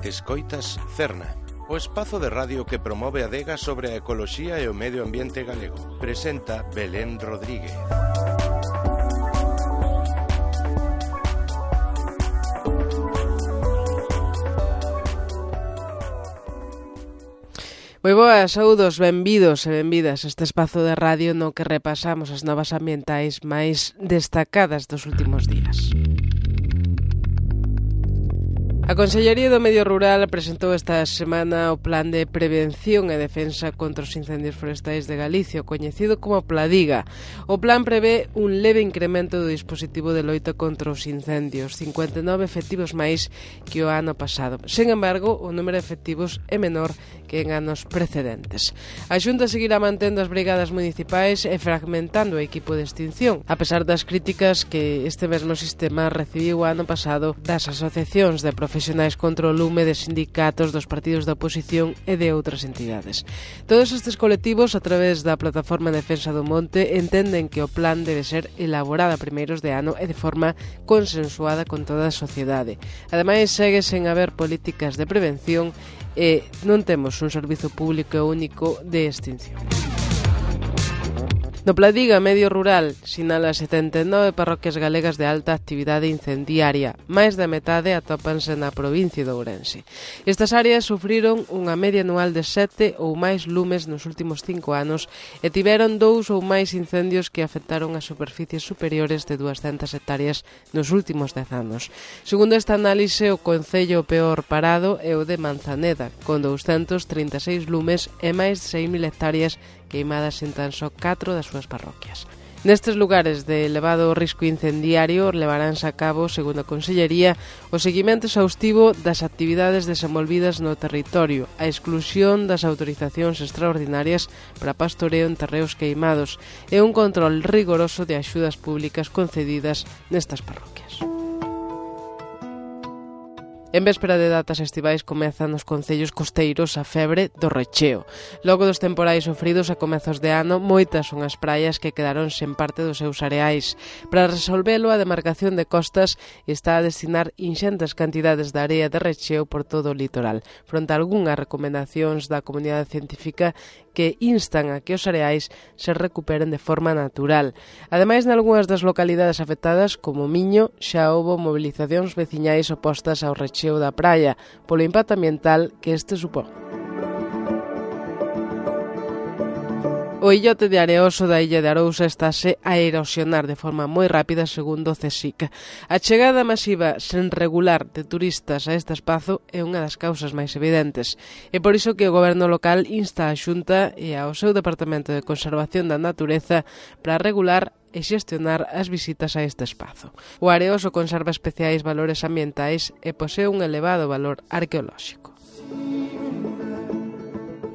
Escoitas Cerna, o espazo de radio que promove a adega sobre a ecoloxía e o medio ambiente galego. Presenta Belén Rodríguez. Moi boas, saúdos, benvidos e benvidas a este espazo de radio no que repasamos as novas ambientais máis destacadas dos últimos días. A Consellería do Medio Rural presentou esta semana o Plan de Prevención e Defensa contra os Incendios Forestais de Galicia, coñecido como Pladiga. O plan prevé un leve incremento do dispositivo de loita contra os incendios, 59 efectivos máis que o ano pasado. Sen embargo, o número de efectivos é menor que en anos precedentes. A Xunta seguirá mantendo as brigadas municipais e fragmentando o equipo de extinción, a pesar das críticas que este mesmo sistema recibiu o ano pasado das asociacións de profesionais contra o lume, de sindicatos, dos partidos da oposición e de outras entidades. Todos estes colectivos, a través da Plataforma de Defensa do Monte, entenden que o plan debe ser elaborado a primeiros de ano e de forma consensuada con toda a sociedade. Ademais, segue sen haber políticas de prevención e non temos un servizo público único de extinción. No Pladiga Medio Rural sinala 79 parroquias galegas de alta actividade incendiaria. Máis da metade atópanse na provincia de Ourense. Estas áreas sufriron unha media anual de 7 ou máis lumes nos últimos 5 anos e tiveron 2 ou máis incendios que afectaron as superficies superiores de 200 hectáreas nos últimos 10 anos. Segundo esta análise, o concello peor parado é o de Manzaneda, con 236 lumes e máis de 6.000 hectáreas queimadas en tan só 4 das súas parroquias. Nestes lugares de elevado risco incendiario levaránse a cabo, segundo a Consellería, o seguimento exhaustivo das actividades desenvolvidas no territorio, a exclusión das autorizacións extraordinarias para pastoreo en terreos queimados e un control rigoroso de axudas públicas concedidas nestas parroquias. En véspera de datas estivais comezan nos concellos costeiros a febre do recheo. Logo dos temporais sofridos a comezos de ano, moitas son as praias que quedaron sen parte dos seus areais. Para resolvelo, a demarcación de costas está a destinar inxentes cantidades de area de recheo por todo o litoral, fronte a algunhas recomendacións da comunidade científica que instan a que os areais se recuperen de forma natural. Ademais, nalgúnas das localidades afectadas, como Miño, xa houbo movilizacións veciñais opostas ao recheo da praia, polo impacto ambiental que este supón. O illote de Areoso da illa de Arousa estáse a erosionar de forma moi rápida, segundo o CSIC. A chegada masiva sen regular de turistas a este espazo é unha das causas máis evidentes. É por iso que o goberno local insta a Xunta e ao seu Departamento de Conservación da Natureza para regular e xestionar as visitas a este espazo. O Areoso conserva especiais valores ambientais e posee un elevado valor arqueolóxico.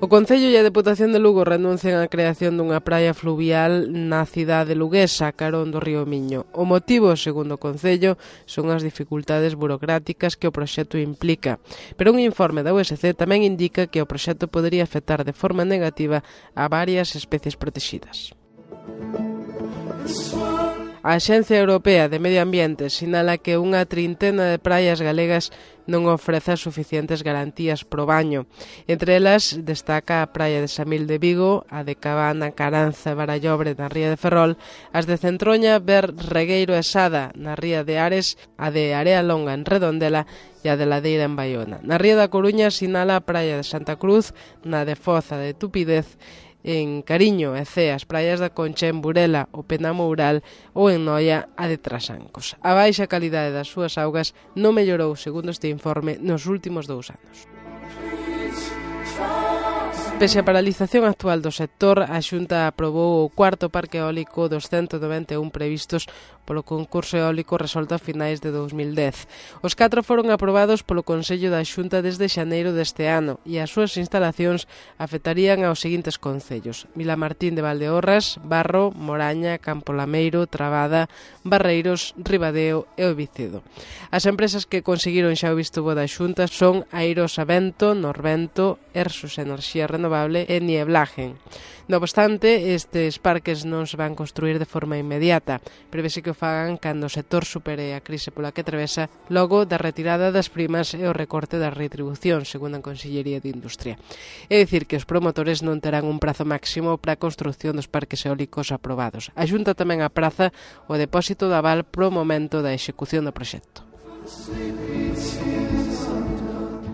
O Concello e a Deputación de Lugo renuncian á creación dunha praia fluvial na cidade luguesa, carón do río Miño. O motivo, segundo o Concello, son as dificultades burocráticas que o proxecto implica. Pero un informe da USC tamén indica que o proxecto podería afectar de forma negativa a varias especies protegidas. A Axencia Europea de Medio Ambiente sinala que unha trintena de praias galegas non ofrece as suficientes garantías pro baño. Entre elas destaca a praia de Samil de Vigo, a de Cabana, Caranza e Barallobre na ría de Ferrol, as de Centroña, Ver, Regueiro e Sada na ría de Ares, a de Area Longa en Redondela e a de Ladeira en Baiona. Na ría da Coruña sinala a praia de Santa Cruz, na de Foz, a de Tupidez, en Cariño e Cee, as praias da Concha, en Burela, o Penamoural ou en Noia, a de Trasancos. A baixa calidade das súas augas non mellorou, segundo este informe, nos últimos 2 anos. Pese a paralización actual do sector, a Xunta aprobou o cuarto parque eólico dos 191 previstos polo concurso eólico resolto a finais de 2010. Os 4 foron aprobados polo Consello da Xunta desde xaneiro deste ano e as súas instalacións afectarían aos seguintes concellos: Vilamartín de Valdeorras, Barro, Moraña, Campolameiro, Trabada, Barreiros, Ribadeo e o Vicedo. As empresas que conseguiron xa o visto bo da Xunta son Airosavento, Norvento, Ersus Enerxía Renovable e Nieblagen. No obstante, estes parques non se van construir de forma inmediata. Prevese que o fagan cando o sector supere a crise pola que atravesa logo da retirada das primas e o recorte da retribución, segundo a Consellería de Industria. É dicir que os promotores non terán un prazo máximo para a construción dos parques eólicos aprobados. A Xunta tamén apraza o depósito de aval pro momento da execución do proxecto.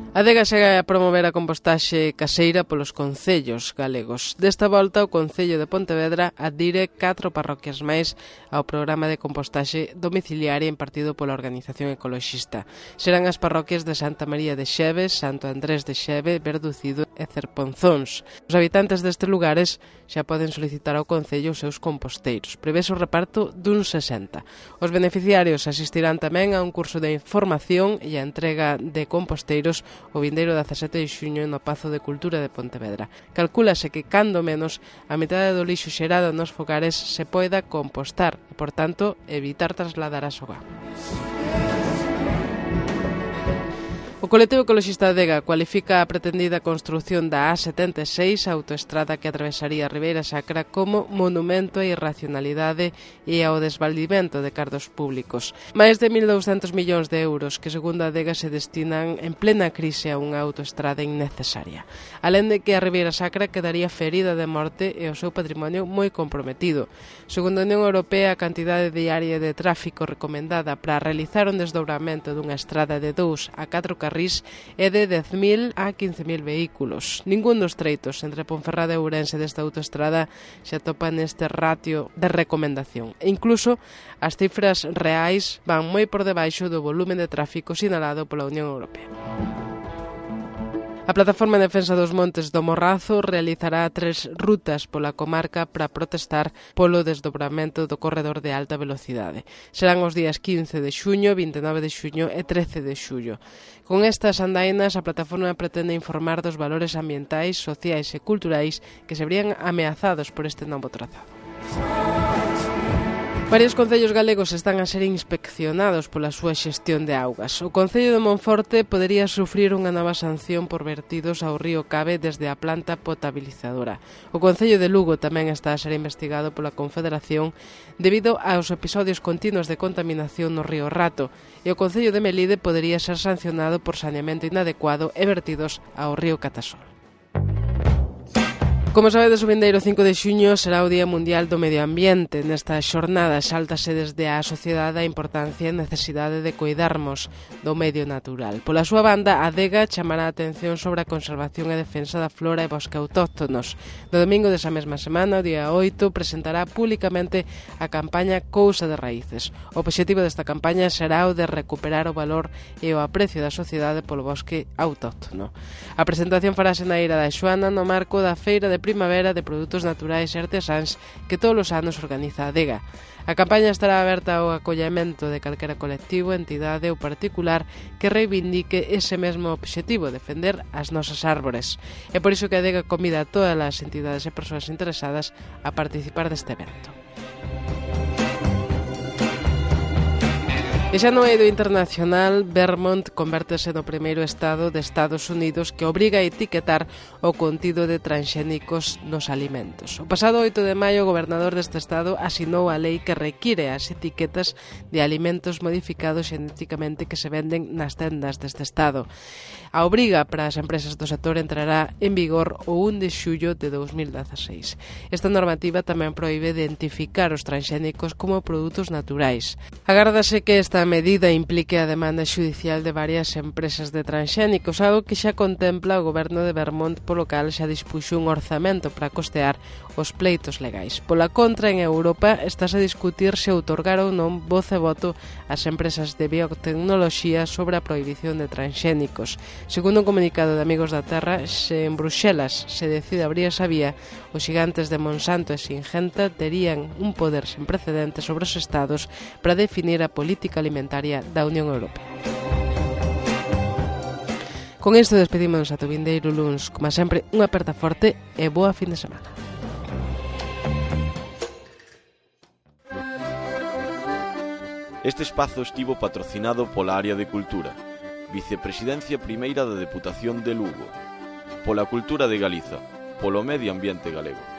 A Adega segue a promover a compostaxe caseira polos concellos galegos. Desta volta, o Concello de Pontevedra adire 4 parroquias máis ao programa de compostaxe domiciliaria impartido pola organización ecoloxista. Serán as parroquias de Santa María de Xeves, Santo Andrés de Xeve, Verducido e Cerponzóns. Os habitantes destes lugares xa poden solicitar ao Concello os seus composteiros. Prevese o reparto dun 60. Os beneficiarios asistirán tamén a un curso de información e a entrega de composteiros o vindeiro 17 de xuño no Pazo de Cultura de Pontevedra. Calcúlase que, cando menos, a metade do lixo xerado nos fogares se poida compostar e, por tanto, evitar trasladar a soga. O colectivo ecoloxista Adega cualifica a pretendida construción da A76, a autoestrada que atravesaría a Ribeira Sacra, como monumento á irracionalidade e ao desvaldimento de cartos públicos. Máis de 1.200 millóns de euros que, segundo a Adega, se destinan en plena crise a unha autoestrada innecesaria. Alén de que a Ribeira Sacra quedaría ferida de morte e o seu patrimonio moi comprometido. Segundo a Unión Europea, a cantidade diaria de tráfico recomendada para realizar un desdobramento dunha estrada de 2 a 4 carrís é de 10.000 a 15.000 vehículos. Ningún dos treitos entre Ponferrada e Ourense desta autoestrada se atopa neste ratio de recomendación. E incluso as cifras reais van moi por debaixo do volume de tráfico sinalado pola Unión Europea. A Plataforma en Defensa dos Montes do Morrazo realizará 3 rutas pola comarca para protestar polo desdobramento do corredor de alta velocidade. Serán os días 15 de xuño, 29 de xuño e 13 de xullo. Con estas andainas, a plataforma pretende informar dos valores ambientais, sociais e culturais que se verían ameazados por este novo trazado. Varios concellos galegos están a ser inspeccionados pola súa xestión de augas. O Concello de Monforte podería sufrir unha nova sanción por vertidos ao río Cabe desde a planta potabilizadora. O Concello de Lugo tamén está a ser investigado pola Confederación debido aos episodios continuos de contaminación no río Rato, e o Concello de Melide podería ser sancionado por saneamento inadecuado e vertidos ao río Catasol. Como sabedes, o vindeiro 5 de xuño será o Día Mundial do Medio Ambiente. Nesta xornada xáltase desde a sociedade a importancia e necesidade de cuidarmos do medio natural. Pola súa banda, a Adega chamará a atención sobre a conservación e defensa da flora e bosque autóctonos. No domingo desa mesma semana, o día 8, presentará públicamente a campaña Cousa de Raíces. O obxectivo desta campaña será o de recuperar o valor e o aprecio da sociedade polo bosque autóctono. A presentación farase na Eira da Xoana no marco da Feira de Primavera de Produtos Naturais e Artesáns que todos os anos organiza a Adega. A campaña estará aberta ao acollemento de calquera colectivo, entidade ou particular que reivindique ese mesmo obxectivo, defender as nosas árbores. É por iso que a Adega convida a todas as entidades e persoas interesadas a participar deste evento. E xa no eido internacional, Vermont convértese no primeiro estado de Estados Unidos que obriga a etiquetar o contido de transxénicos nos alimentos. O pasado 8 de maio, o gobernador deste estado asinou a lei que require as etiquetas de alimentos modificados xenéticamente que se venden nas tendas deste estado. A obriga para as empresas do sector entrará en vigor o 1 de xullo de 2016. Esta normativa tamén proíbe identificar os transxénicos como produtos naturais. Agárdase que esta medida implique a demanda xudicial de varias empresas de transxénicos, algo que xa contempla o goberno de Vermont, polo cal xa dispuxo un orzamento para costear os pleitos legais. Pola contra, en Europa, estáse a discutir se outorgar ou non voz e voto ás empresas de biotecnoloxía sobre a prohibición de transxénicos. Segundo un comunicado de Amigos da Terra, se en Bruxelas se decide abrir esa vía, os xigantes de Monsanto e Singenta terían un poder sen precedentes sobre os estados para definir a política alimentaria da Unión Europea. Con isto despedímonos ata o vindeiro luns. Como sempre, unha aperta forte e boa fin de semana. Este espazo estivo patrocinado pola Área de Cultura, Vicepresidencia Primeira da Deputación de Lugo. pola cultura de Galiza, polo medio ambiente galego.